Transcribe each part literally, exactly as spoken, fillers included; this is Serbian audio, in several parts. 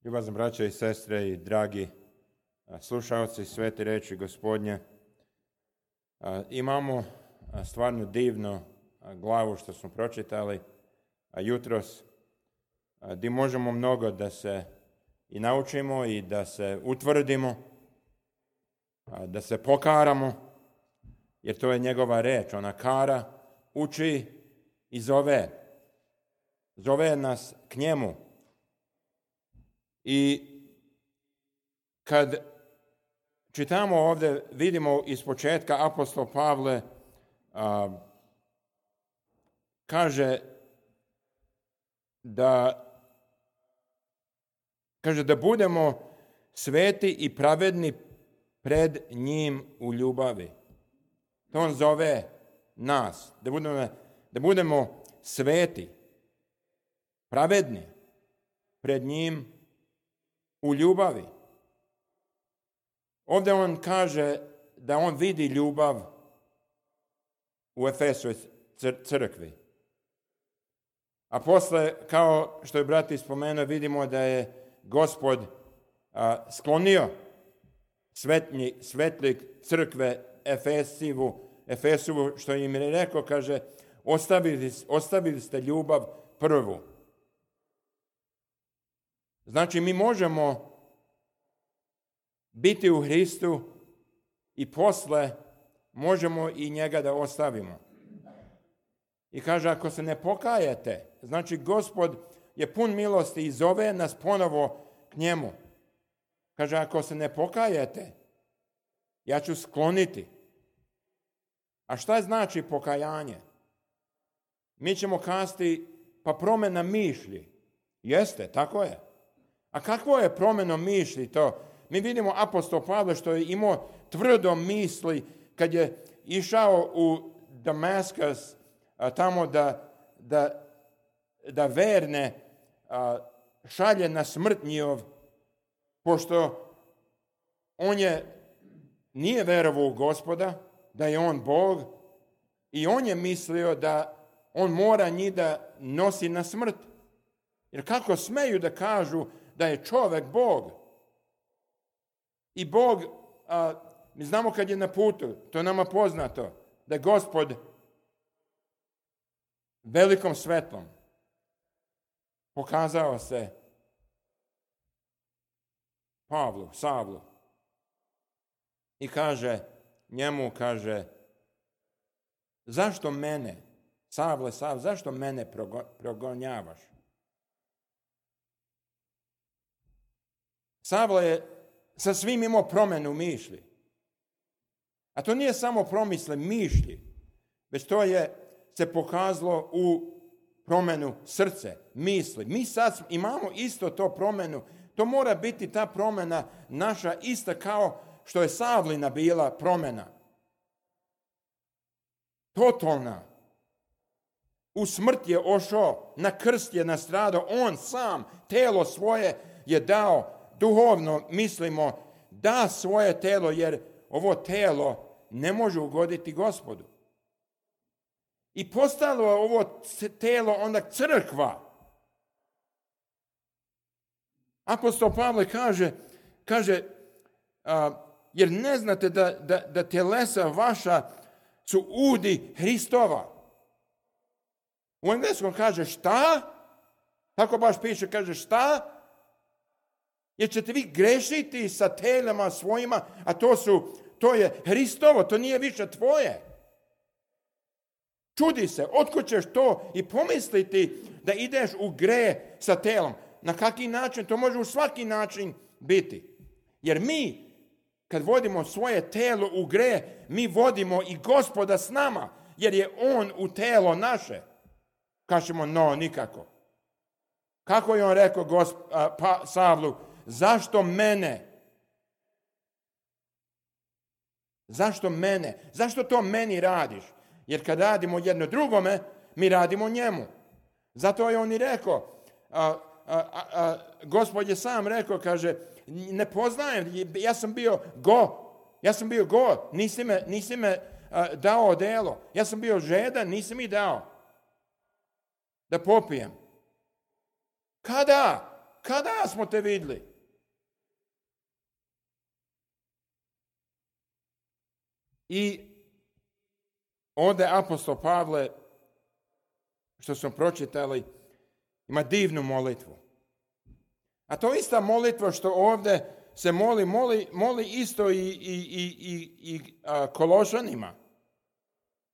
Ljubazni braće i sestre i dragi slušalci svete riječi Gospodnje, imamo stvarno divnu glavu što smo pročitali jutros, gdje možemo mnogo da se i naučimo i da se utvrdimo, da se pokaramo, jer to je njegova reč. Ona kara, uči i zove. Zove nas k njemu. I kad čitamo ovdje, vidimo iz početka apostol Pavle a, kaže da kaže da budemo sveti i pravedni pred njim u ljubavi. To on zove nas, da budemo, da budemo sveti, pravedni pred njim u ljubavi. Ovdje on kaže da on vidi ljubav u Efesovoj crkvi. A posle, kao što je brat spomenuo, vidimo da je Gospod a, sklonio svetnji, svetlik crkve Efesivu, Efesovu, što im je rekao, kaže, ostavili, ostavili ste ljubav prvu. Znači, mi možemo biti u Hristu i posle možemo i njega da ostavimo. I kaže, ako se ne pokajete, znači Gospod je pun milosti i zove nas ponovo k njemu. Kaže, ako se ne pokajete, ja ću skloniti. A šta znači pokajanje? Mi ćemo kazati, pa promjena mišlji. Jeste, tako je. A kakvo je promjena mišlji to? Mi vidimo apostol Pavle što je imao tvrdo misli kad je išao u Damaskus a, tamo da, da, da verne a, šalje na smrt njihov, pošto on je, nije verovao u Gospoda, da je on Bog, i on je mislio da on mora njih da nosi na smrt. Jer kako smeju da kažu da je čovjek Bog? I Bog, a, mi znamo kad je na putu, to je nama poznato, da je Gospod velikom svetlom pokazao se Pavlu, Savlu. I kaže, njemu kaže, zašto mene, Savle, Savle, zašto mene progonjavaš? Savle je sa svim imao promjenu mišlji. A to nije samo promisle mišlji, već to je se pokazalo u promjenu srce, misli. Mi sad imamo isto to promjenu. To mora biti ta promjena naša ista kao što je Savlina bila promjena. Totalna. U smrt je ošao, na krst je nastradao, on sam telo svoje je dao, duhovno mislimo, da svoje telo, jer ovo telo ne može ugoditi Gospodu. I postalo je ovo telo onda crkva. Apostol Pavle kaže, kaže a, jer ne znate da, da, da telesa vaša su udi Hristova. U engleskom kaže šta? Tako baš piše, kaže šta? Jer ćete vi grešiti sa telima svojima, a to su, to je Hristovo, to nije više tvoje. Čudi se, otkud ćeš to i pomisliti da ideš u gre sa telom. Na kaki način? To može u svaki način biti. Jer mi, kad vodimo svoje telo u gre, mi vodimo i Gospoda s nama, jer je on u telo naše. Kažemo, no, nikako. Kako je on rekao gosp, a, pa, Savlu, zašto mene? Zašto mene? Zašto to meni radiš? Jer kad radimo jedno drugome, mi radimo njemu. Zato je on i rekao, a, a, a, a, Gospod je sam rekao, kaže, ne poznajem, ja sam bio go, ja sam bio go, nisi me, nisi me a, dao odelo, ja sam bio žedan, nisi mi dao da popijem. Kada? kada smo te vidjeli? I ovdje apostol Pavle, što smo pročitali, ima divnu molitvu. A to ista molitva što ovdje se moli, moli, moli isto i, i, i, i, i a, Kološanima.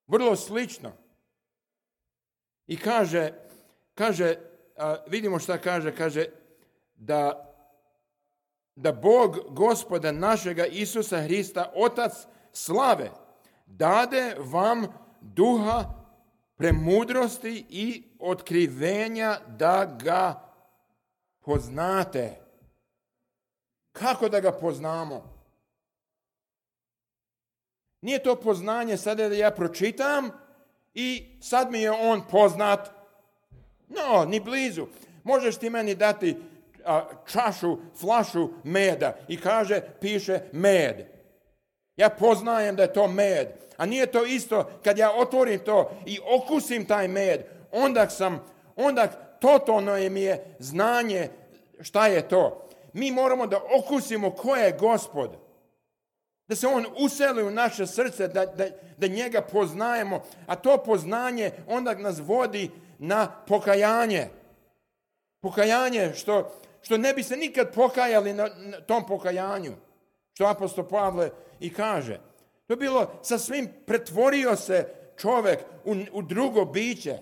Vrlo slično. I kaže, kaže a, vidimo šta kaže, kaže da, da Bog Gospoda našega Isusa Hrista, Otac slave, dade vam duha premudrosti i otkrivenja da ga poznate. Kako da ga poznamo? Nije to poznanje sada da ja pročitam i sad mi je on poznat. No, ni blizu. Možeš ti meni dati a, čašu, flašu meda i kaže, piše med. Ja poznajem da je to med. A nije to isto kad ja otvorim to i okusim taj med. Onda sam, onda totalno mi je znanje šta je to. Mi moramo da okusimo ko je Gospod. Da se on useli u naše srce, da, da, da njega poznajemo. A to poznanje onda nas vodi na pokajanje. Pokajanje što, što ne bi se nikad pokajali na, na tom pokajanju. Što apostol Pavle i kaže. To je bilo sa svim, pretvorio se čovjek u, u drugo biće.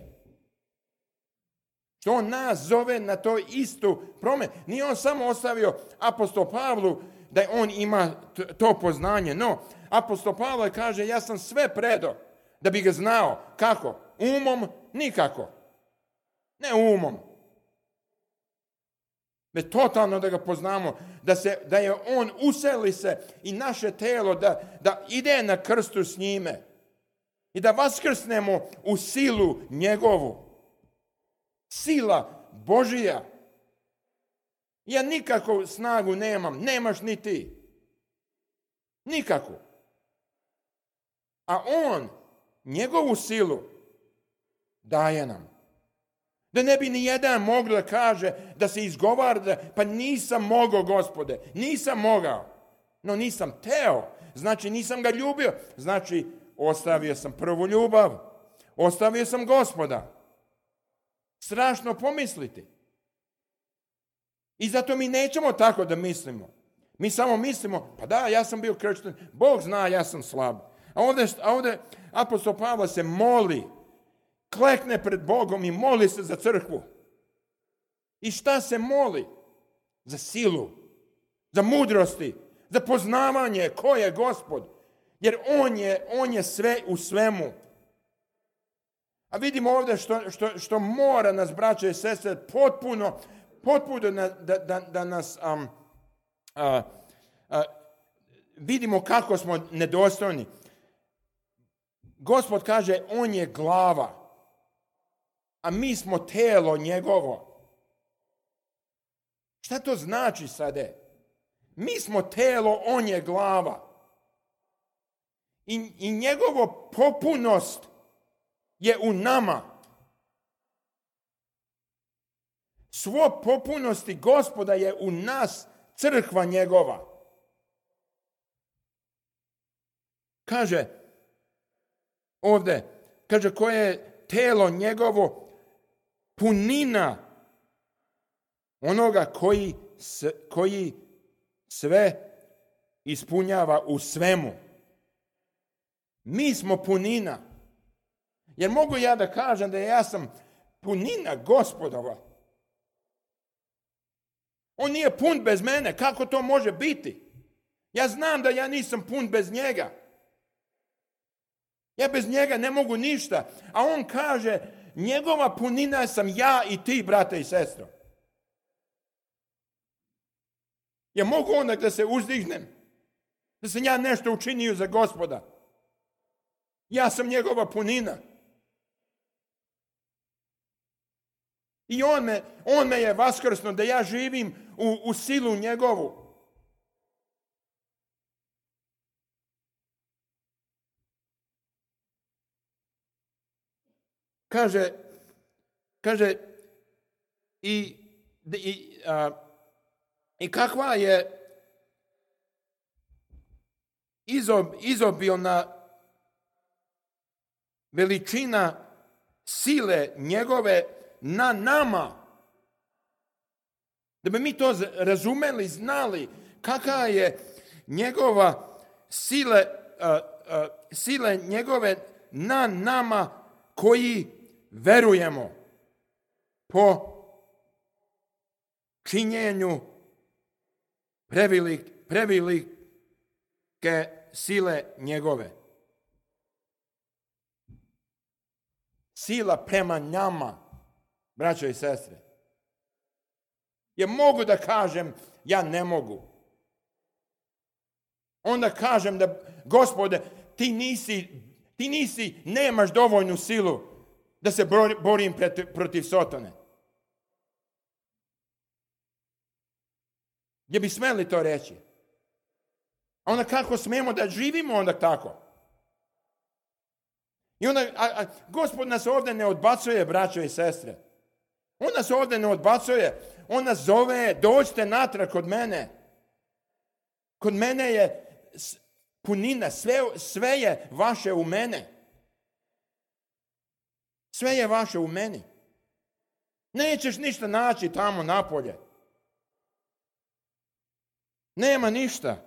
Što on nas zove na to istu promjenu. Nije on samo ostavio apostol Pavlu da on ima to poznanje. No, apostol Pavle kaže, ja sam sve predo da bi ga znao. Kako? Umom? Nikako. Ne umom. Već totalno da ga poznamo, da, se, da je on useli se i naše telo da, da ide na krstu s njime i da vaskrsnemo u silu njegovu. Sila Božija. Ja nikakvu snagu nemam, nemaš ni ti. Nikakvu. A on njegovu silu daje nam. Da ne bi ni jedan mogao da kaže, da se izgovara, da, pa nisam mogao, Gospode, nisam mogao. No nisam teo, znači nisam ga ljubio, znači ostavio sam prvu ljubav, ostavio sam Gospoda. Strašno pomisliti. I zato mi nećemo tako da mislimo. Mi samo mislimo, pa da, ja sam bio kršten, Bog zna, ja sam slab. A ovdje, a ovdje apostol Pavle se moli, klekne pred Bogom i moli se za crkvu. I šta se moli? Za silu, za mudrosti, za poznavanje ko je Gospod. Jer on je, on je sve u svemu. A vidimo ovdje što, što, što mora nas, braće i sestre, potpuno, potpuno da, da, da, da nas um, a, a, vidimo kako smo nedostojni. Gospod kaže, on je glava, a mi smo telo njegovo. Šta to znači sada? Mi smo telo, on je glava. I, i njegovo popunost je u nama. Svo popunosti Gospoda je u nas, crkva njegova. Kaže ovdje, kaže koje je telo njegovo, punina onoga koji, koji sve ispunjava u svemu. Mi smo punina. Jer mogu ja da kažem da ja sam punina Gospodova. On nije pun bez mene. Kako to može biti? Ja znam da ja nisam pun bez njega. Ja bez njega ne mogu ništa. A on kaže, njegova punina sam ja i ti, brate i sestro. Ja mogu onda da se uzdignem. Da sam ja nešto učinio za Gospoda. Ja sam njegova punina. I on me, on me je vaskrsnuo da ja živim u, u silu njegovu. Kaže, kaže i i, a, i kakva je izob, izobilna veličina sile njegove na nama. Da bi mi to razumeli, znali kakva je njegova sile, a, a, sile njegove na nama koji verujemo po činjenju prevelik, prevelike sile njegove. Sila prema nama, braćo i sestre. Ja mogu da kažem, ja ne mogu. Onda kažem da, Gospode, ti nisi, ti nisi, nemaš dovoljnu silu da se borim protiv, protiv Sotone. Gdje bi smeli to reći? A onda kako smemo da živimo onda tako? I onda, a, a, Gospod nas ovdje ne odbacuje, braćo i sestre. On nas ovdje ne odbacuje. On nas zove, dođite natrag kod mene. Kod mene je punina, sve, sve je vaše u mene. Sve je vaše u meni. Nećeš ništa naći tamo napolje. Nema ništa.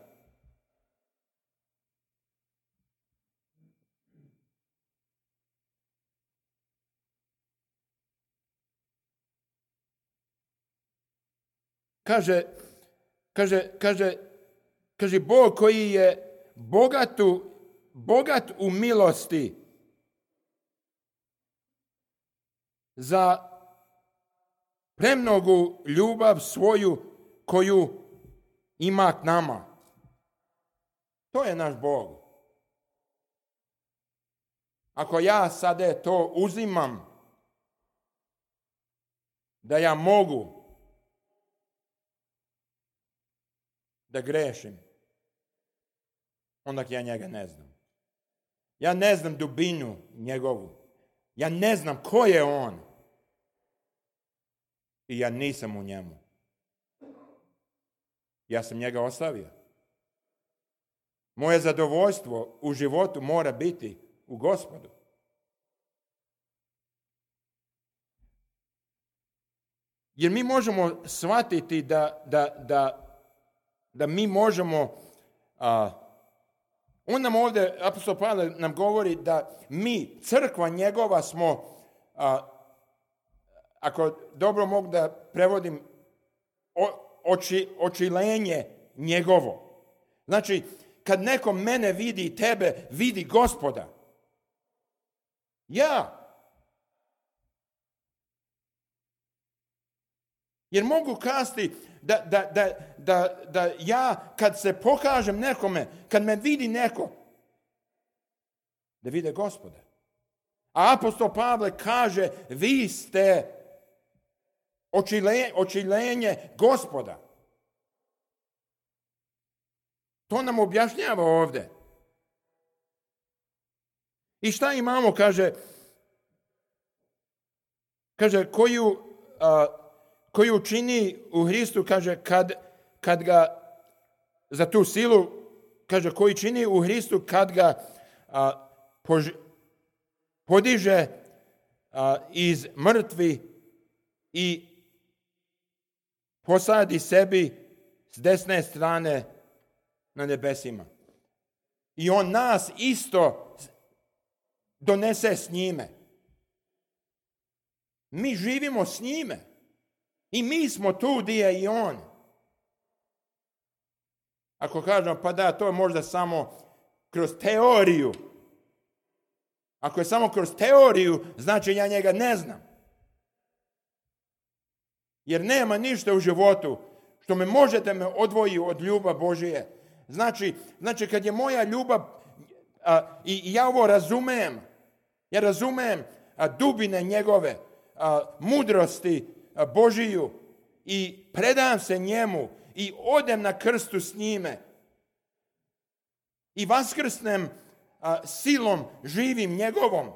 Kaže, kaže, kaže, kaže Bog koji je bogatu, bogat u milosti za premnogu ljubav svoju koju ima k nama. To je naš Bog. Ako ja sada to uzimam, da ja mogu da grešim, onda ja njega ne znam. Ja ne znam dubinu njegovu. Ja ne znam ko je on. I ja nisam u njemu. Ja sam njega ostavio. Moje zadovoljstvo u životu mora biti u Gospodu. Jer mi možemo shvatiti da, da, da, da mi možemo, a, on nam ovdje, apostol Pavle nam govori da mi, crkva njegova smo, a, ako dobro mogu da prevodim, o, oči, očilenje njegovo. Znači, kad neko mene vidi i tebe, vidi Gospoda. Ja. Jer mogu kazati da, da, da, da, da ja, kad se pokažem nekome, kad me vidi neko, da vide Gospoda. A apostol Pavle kaže, vi ste očilenje, očilenje Gospoda. To nam objašnjava ovdje. I šta imamo, kaže, kaže, koju, a, koju čini u Hristu, kaže, kad, kad ga, za tu silu, kaže, koji čini u Hristu kad ga a, pož, podiže a, iz mrtvi i posadi sebi s desne strane na nebesima. I on nas isto donese s njime. Mi živimo s njime. I mi smo tu gdje je i on. Ako kažemo, pa da, to je možda samo kroz teoriju. Ako je samo kroz teoriju, znači ja njega ne znam. Jer nema ništa u životu što me možete me odvoji od ljubav Božije. Znači, znači kad je moja ljubav, a, i, i ja ovo razumem, ja razumem a, dubine njegove, a, mudrosti a, Božiju i predam se njemu i odem na krstu s njime i vaskrsnem a, silom živim njegovom.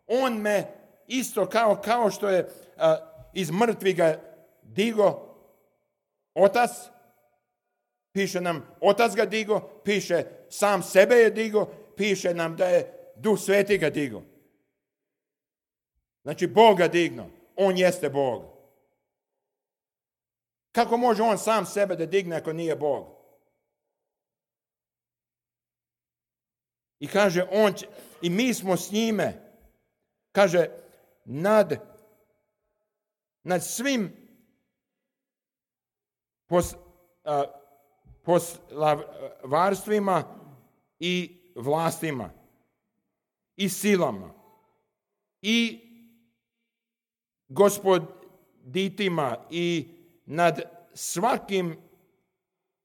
On me isto kao, kao što je a, iz mrtvih ga digo, Otac, piše nam Otac ga digo, piše sam sebe je digo, piše nam da je Duh Sveti ga digo. Znači, Bog ga digno. On jeste Bog. Kako može on sam sebe da digne ako nije Bog? I kaže, on će, i mi smo s njime, kaže, nad, nad svim pos, a, poslavarstvima i vlastima i silama i gospoditima i nad svakim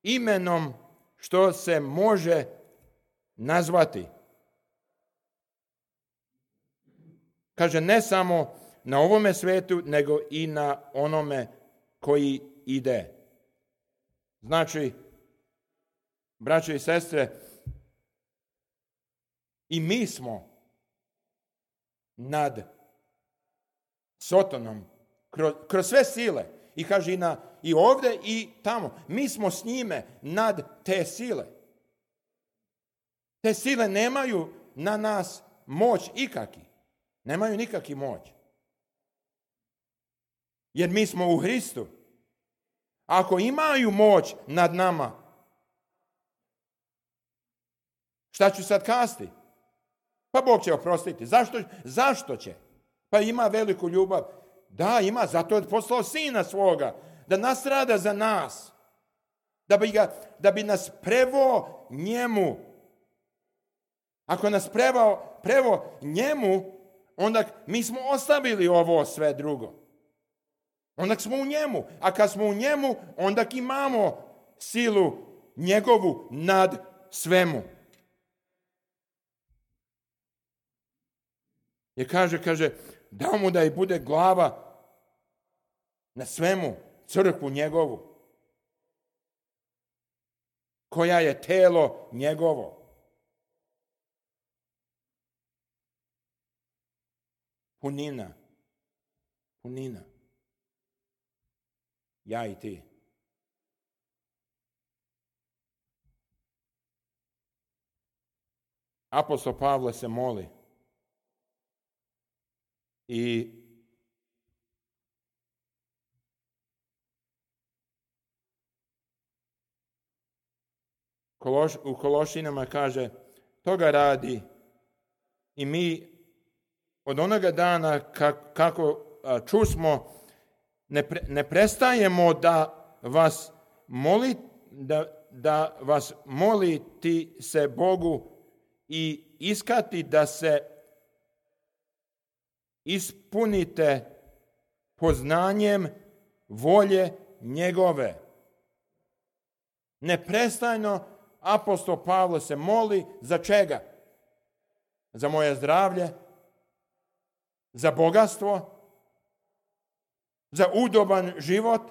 imenom što se može nazvati. Kaže, ne samo na ovome svetu, nego i na onome koji ide. Znači, braćo i sestre, i mi smo nad Sotonom, kroz, kroz sve sile. I kaže i, na, i ovdje i tamo. Mi smo s njime nad te sile. Te sile nemaju na nas moć ikaki. Nemaju nikaki moć. Jer mi smo u Hristu. Ako imaju moć nad nama, šta ću sad kasti? Pa Bog će oprostiti. Zašto, zašto će? Pa ima veliku ljubav. Da, ima, zato je poslao Sina svoga, da nastrada za nas, da bi, ga, da bi nas prevo njemu. Ako nas prevo, prevo njemu, onda mi smo ostavili ovo sve drugo. Onda smo u njemu. A kad smo u njemu, onda imamo silu njegovu nad svemu. Jer kaže, kaže, dao mu da i bude glava na svemu, crkvu njegovu, koja je telo njegovo. Punina. Punina. Ja i ti. Apostol Pavle se moli i u Kološinama kaže, toga radi i mi od onoga dana kako čusmo ne, pre, ne prestajemo da vas moli, da, da vas moliti se Bogu i iskati da se ispunite poznanjem volje njegove. Neprestajno apostol Pavle se moli za čega? Za moje zdravlje, za bogatstvo, za udoban život,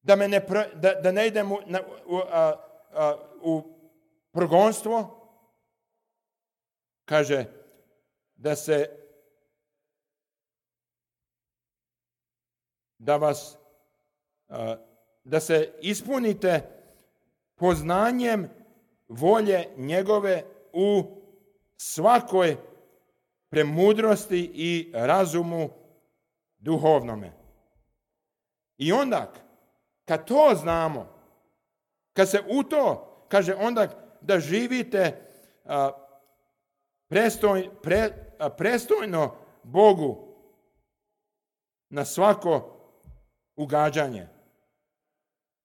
da, me ne, da, da ne idem u, na, u, a, a, u progonstvo. Kaže, da se da vas a, da se ispunite poznanjem volje njegove u svakoj premudrosti i razumu duhovnome. I onda, kad to znamo, kad se u to, kaže onda da živite a, prestoj, pre, a, prestojno Bogu na svako ugađanje.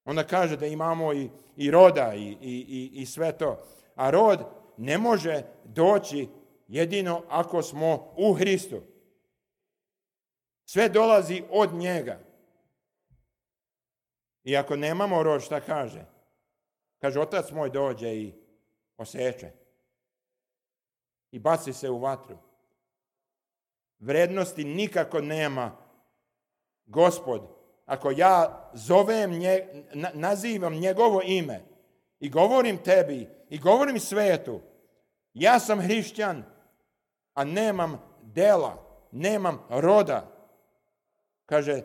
Onda kaže da imamo i, i roda i, i, i sve to. A rod ne može doći jedino ako smo u Hristu. Sve dolazi od njega. I ako nemamo rod, šta kaže? Kaže, otac moj dođe i oseče. I baci se u vatru. Vrednosti nikako nema Gospod. Ako ja zovem, nje, nazivam njegovo ime i govorim tebi i govorim svetu, ja sam hrišćan, a nemam dela, nemam roda. Kaže,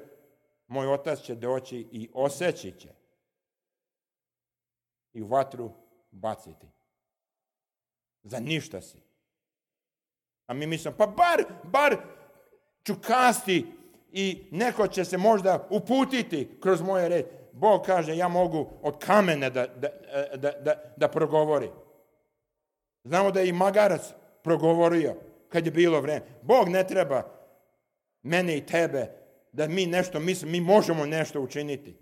moj otac će doći i oseći će i u vatru baciti. Za ništa si. A mi mislimo, pa bar, bar ću kasti i neko će se možda uputiti kroz moje reči. Bog kaže, ja mogu od kamena da, da, da, da, da progovori. Znamo da je i magarac progovorio kad je bilo vreme. Bog ne treba mene i tebe da mi nešto mislimo, mi možemo nešto učiniti.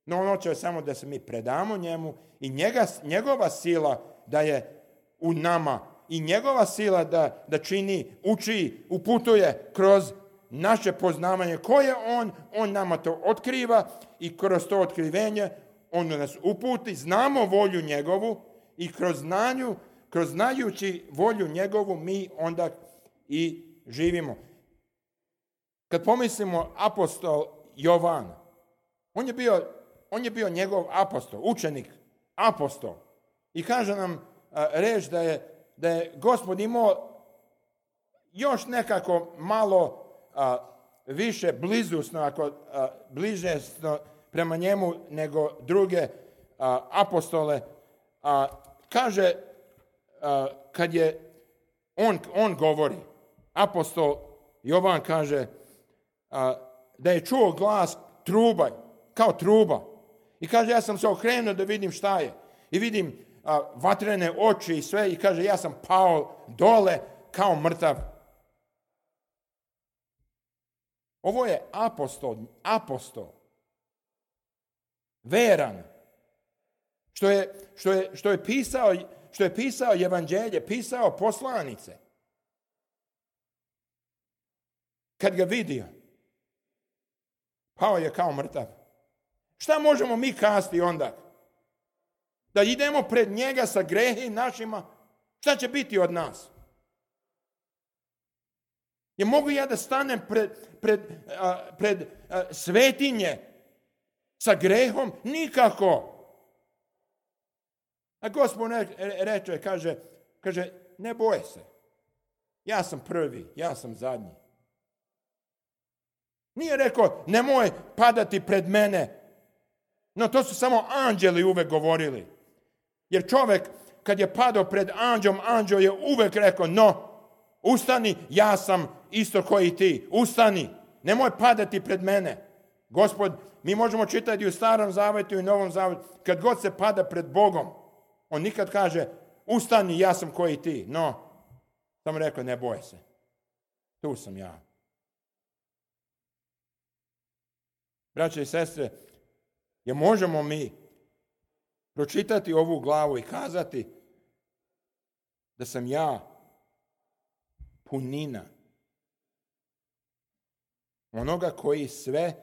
No ono će samo da se mi predamo njemu i njega, njegova sila da je u nama i njegova sila da, da čini, uči, uputuje kroz naše poznavanje koje on, on nama to otkriva i kroz to otkrivenje on nas uputi, znamo volju njegovu i kroz znanju, kroz znajući volju njegovu mi onda i živimo. Kad pomislimo apostol Jovan, on je bio, on je bio njegov apostol, učenik, apostol. I kaže nam a, reč da je, da je Gospod imao još nekako malo a, više blizusno, ako a, bliže prema njemu nego druge a, apostole. A, kaže, a, kad je on, on govori, apostol Jovan kaže a, da je čuo glas truba, kao truba. I kaže, ja sam se okrenuo da vidim šta je. I vidim a, vatrene oči i sve. I kaže, ja sam pao dole kao mrtav. Ovo je apostol, apostol. Veran. Što je, što je, što je pisao, što je pisao evanđelje, pisao poslanice. Kad ga vidio, pao je kao mrtav. Šta možemo mi kasti onda? Da idemo pred njega sa grehi našima? Šta će biti od nas? Je mogu ja da stanem pred, pred, a, pred a, svetinje sa grehom? Nikako. A Gospod reče, kaže, kaže, ne boj se. Ja sam prvi, ja sam zadnji. Nije rekao, nemoj padati pred mene. No, to su samo anđeli uvek govorili. Jer čovjek, kad je padao pred anđelom, anđel je uvek rekao, no, ustani, ja sam isto koji ti. Ustani, nemoj padati pred mene. Gospod, mi možemo čitati u Starom Zavetu i Novom Zavetu, kad god se pada pred Bogom, on nikad kaže, ustani, ja sam koji ti. No, samo rekao, ne boj se. Tu sam ja. Braće i sestre, je možemo mi pročitati ovu glavu i kazati da sam ja punina onoga koji sve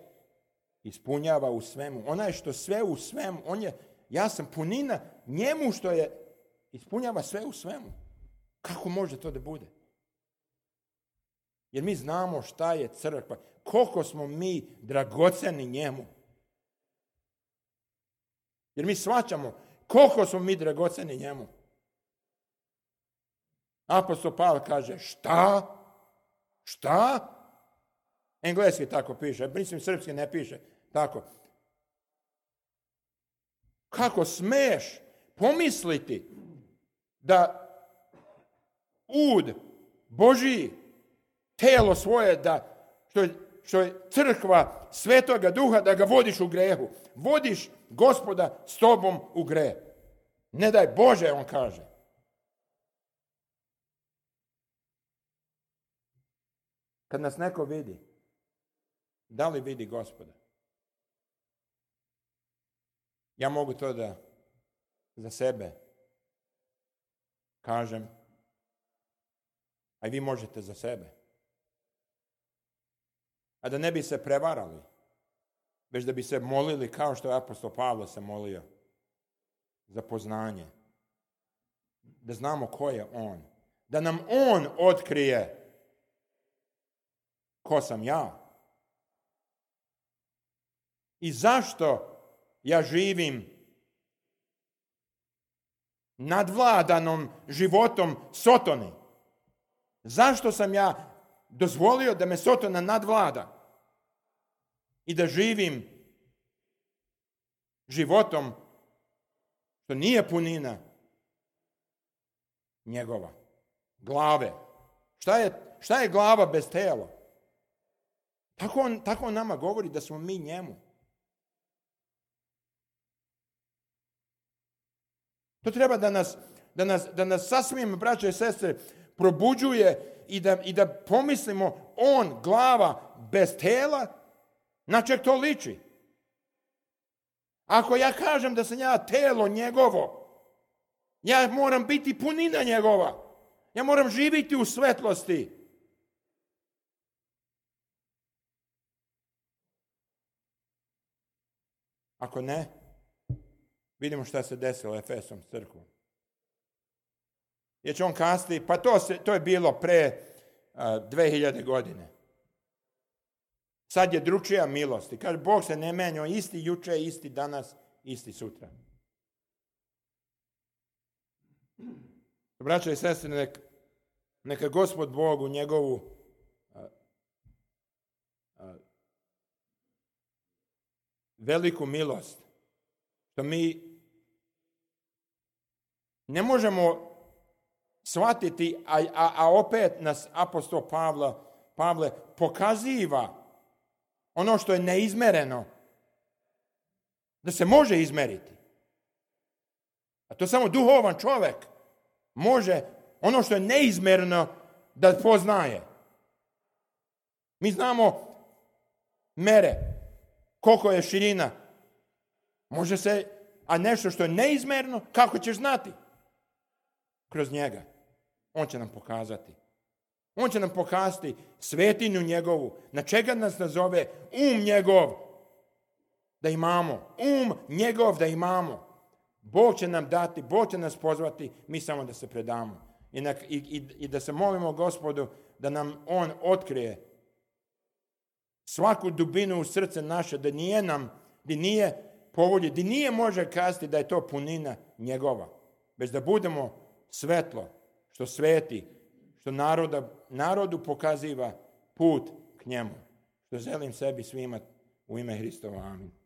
ispunjava u svemu. Onaj što sve u svemu, on je, ja sam punina njemu što je ispunjava sve u svemu. Kako može to da bude? Jer mi znamo šta je crkva, koliko smo mi dragoceni njemu. Jer mi shvaćamo koliko smo mi dragoceni njemu. Apostol Pavle kaže, šta? Šta? Engleski tako piše, mislim srpski ne piše tako. Kako smeš pomisliti da ud Božiji telo svoje, da što je, što je crkva Svetoga Duha, da ga vodiš u grehu. Vodiš Gospoda s tobom u greh. Ne daj Bože, on kaže. Kad nas neko vidi, da li vidi Gospoda? Ja mogu to da za sebe kažem, a i vi možete za sebe. A da ne bi se prevarali, već da bi se molili kao što je apostol Pavle se molio za poznanje. Da znamo ko je on. Da nam on otkrije ko sam ja. I zašto ja živim nadvladanom životom Sotoni? Zašto sam ja dozvolio da me Sotona nadvlada? i da živim životom što nije punina njegova, glave. Šta je, šta je glava bez tela? Tako on, tako on nama govori da smo mi njemu. To treba da nas, da nas, da nas sasvim, braće i sestre, probuđuje i da, i da pomislimo, on, glava, bez tela, na čeg to liči? Ako ja kažem da sam ja telo njegovo, ja moram biti punina njegova. Ja moram živjeti u svetlosti. Ako ne, vidimo šta se desilo Efesom s crkvom. Jer će on kazati, pa to, se, to je bilo pre uh, dve hiljade godine. Sad je drugčija milost. I kaže, Bog se ne menja, isti juče, isti danas, isti sutra. Braćo i sestre, neka, neka Gospod Bog u njegovu a, a, veliku milost, što mi ne možemo shvatiti, a, a, a opet nas apostol Pavla, Pavle pokaziva ono što je neizmereno, da se može izmeriti. A to samo duhovan čovjek može ono što je neizmerno da poznaje. Mi znamo mere, koliko je širina. Može se, a nešto što je neizmerno, kako ćeš znati? Kroz njega. On će nam pokazati. On će nam pokazati svetinju njegovu, na čega nas nazove um njegov da imamo. Um njegov da imamo. Bog će nam dati, Bog će nas pozvati, mi samo da se predamo. I, na, i, i, i da se molimo Gospodu da nam on otkrije svaku dubinu u srce naše, da nije nam, da nije povolji, da nije može kazati da je to punina njegova. Već da budemo svetlo, što sveti, što naroda, narodu pokaziva put k njemu. Što želim sebi svima u ime Hristova. Amin.